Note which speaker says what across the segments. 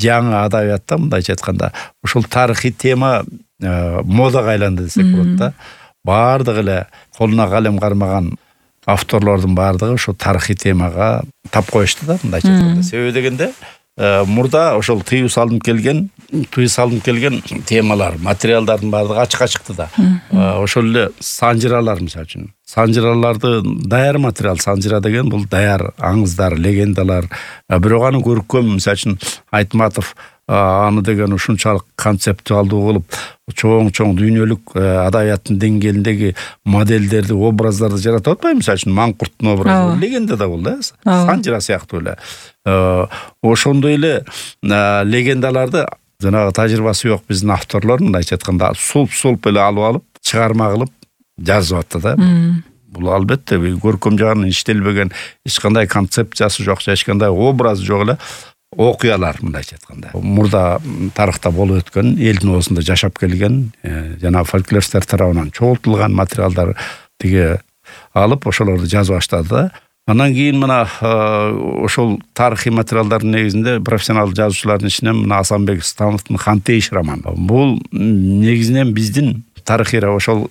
Speaker 1: жаңы адабиятта мындайча айтканда ушул тарыхый тема модага айланды десек болот да. Бардыгы эле колуна калем кармаган авторлордун бардыгы ошо тарыхый темага тап коюшту да, мындайча айтканда. Себеби дегенде мурда ошол тыюу салынып келген темалар, материалдардын бардыгы ачыкка чыкты да. Ошол эле санжыралар мисалы үчүн. Санжыраларды даяр материал, санжыра деген бул даяр аңыздар, легендалар. Бирок аны көркөм, мисалы үчүн Айтматов аны деген ушунчалык концептуалдуу кылып, чоң дүйнөлүк адабияттын деңгээлиндеги модельдерди, образдарды жаратып атпайбы? Мисалы үчүн Маңкурттун образы легенда да бул да, санжыра сыяктуу эле. Ошондой эле легендаларды жанагы тажрыйбасы жок биздин авторлор мындайча айтканда сулп эле алып чыгарма кылып жазып атты да. Бул албетте көркөм жагынан иштелбеген, эч кандай концепциясы жок, эч кандай образы жок эле окуялар мындайча айтканда. Мурда тарыхта болуп өткөн, элдин оозунда жашап келген, жана фольклористтер тарабынан чогултулган материалдар тиги алып ошолорду жазып баштады да. Андан кийин мына ошол тарыхый материалдардын негизинде профессионал жазуучулардын ичинен мына Асанбек Становдун Хантейш романы. Бул негизинен биздин тарыхый ошол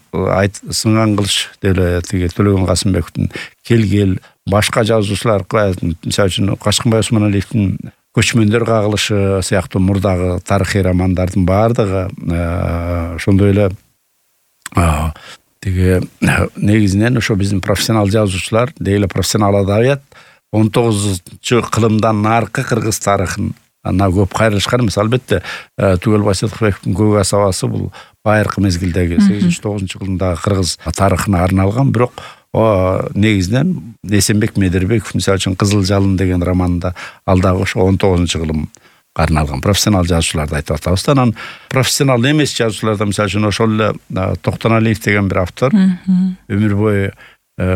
Speaker 1: Сынган кылыч деп эле тиги Төлөгөн Касымбековдун келгел, башка жазуучулар, мисалы үчүн Качкынбай Усманалиевдин Көчмөндөр кагылышы сыяктуу мурдагы тарыхый романдардын бардыгы ошондой эле тиги негизинен ошо биздин профессионал жазуучулар, дейли профессионал адабият 19-кылымдан наркы кыргыз тарыхына көп кайрылышкан. Мисалы албетте Түгөлбай Сыдыкбековдун Көк асабасы бул байыркы мезгилдеги 8-9-кылымдагы кыргыз тарыхына арналган, бирок негизинен Эсенбек Медербеков мисалы үчүн Кызыл жалын деген романда ал дагы ошо 19-кылым арналган профессионал жазуучуларды айтып атабыз. Анан профессионал эмес жазуучуларда мисалы үчүн ошол эле Токтоналиев деген бир автор өмүр бою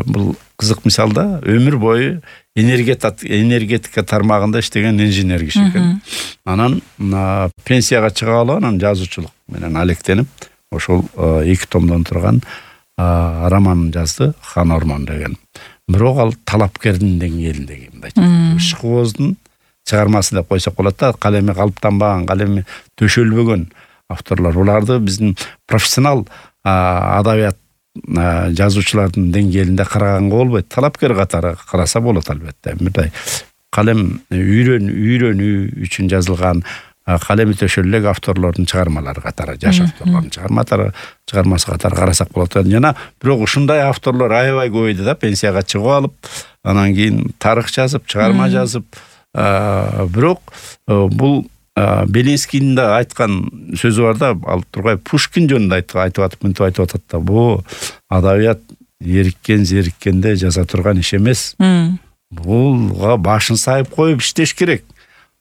Speaker 1: бул кызык мисал да, өмүр бою энергетика тармагында иштеген инженер киши экен. Анан пенсияга чыга алып, анан жазуучулук менен алектенип ошол 2 томдон турган роман жазды, Хан Ормон деген. Бирок ал талапкердин деңгээлиндеги мындайча Ишкооздун чыгармасы деп койсок болот да, калеми калыптанбаган, калеми төшөлбөгөн авторлор. Буларды биздин профессионал адабият жазуучулардын деңгээлинде караганга болбойт. Талапкер катары караса болот албетте. Мындай калем үйрөнүү үчүн жазылган, калеми төшөлүк авторлордун чыгармалары катары, жаш авторлордун чыгармасы катары карасак болот. Жана бирок ушундай авторлор аябай көбөйдү да, пенсияга чыгып алып, анан кийин тарых жазып, чыгарма жазып, бирок бул Белинскийдин да айткан сөзү бар да, ал тургай Пушкин жөнүндө айтып атат да, бул адабият зериккенде жаза турган иш эмес. Булга башын сайып коюп иштеш керек.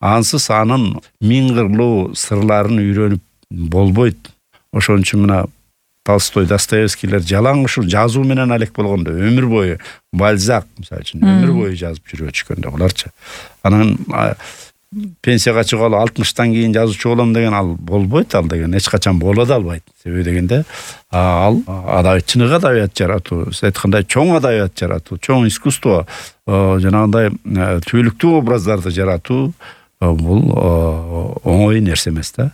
Speaker 1: Ансыз анын миң кырлуу сырларын үйрөнүп болбойт. Ошон үчүн мына Толстой, Достоевскийлер жалаң ушул жазуу менен алек болгондо, өмүр бою Бальзак мисалы үчүн өмүр бою жазып жүрүп өчкөндө буларчы. Анан пенсияга чыгып алып 60-тан кийин жазуучу болом деген ал болбойт, ал деген эч качан боло да албайт. Себеби дегенде ал чыныгы адабият жаратуу, сиз айткандай чоң адабият жаратуу, чоң искусство, жанагындай түбөлүктүү образдарды жаратуу бул оңой нерсе эмес да.